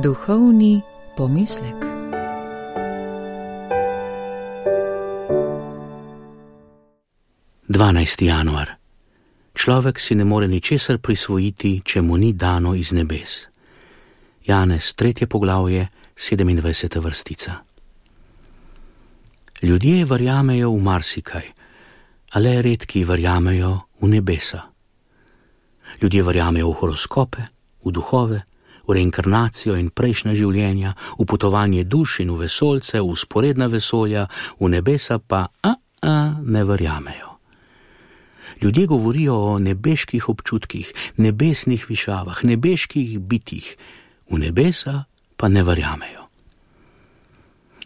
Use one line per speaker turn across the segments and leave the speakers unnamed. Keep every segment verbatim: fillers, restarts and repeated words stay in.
Duhovni pomislek.
dvanajsti januar. Človek si ne more ničesar prisvojiti, če mu ni dano iz nebes. Janez, tretje poglavje, sedemindvajseta vrstica. Ljudje verjamejo v marsikaj, a le redki verjamejo v nebesa. Ljudje verjamejo v horoskope, v duhove, v reinkarnacijo in prejšnja življenja, v potovanje duš in v vesoljce, v vzporedna vesolja, v nebesa pa a, a, ne verjamejo. Ljudje govorijo o nebeških občutkih, nebesnih višavah, nebeških bitjih, v nebesa pa ne verjamejo.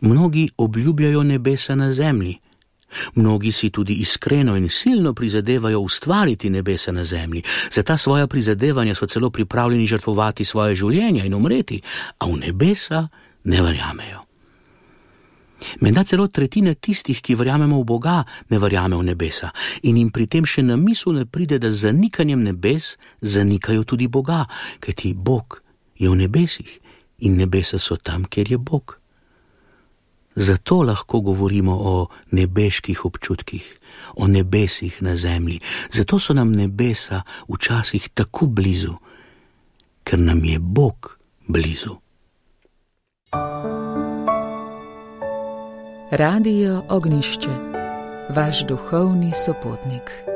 Mnogi obljubljajo nebesa na zemlji. Mnogi si tudi iskreno in silno prizadevajo ustvariti nebesa na zemlji. Za ta svoja prizadevanja so celo pripravljeni žrtvovati svoje življenja in umreti, a v nebesa ne verjamejo. Menda celo tretjina tistih, ki verjamemo v Boga, ne verjame v nebesa in jim pri tem še na misel ne pride, da z zanikanjem nebes zanikajo tudi Boga, kajti Bog je v nebesih in nebesa so tam, kjer je Bog. Zato lahko govorimo o nebeških občutkih, o nebesih na zemlji. Zato so nam nebesa včasih tako blizu, ker nam je Bog blizu.
Radio Ognjišče, vaš duhovni sopotnik.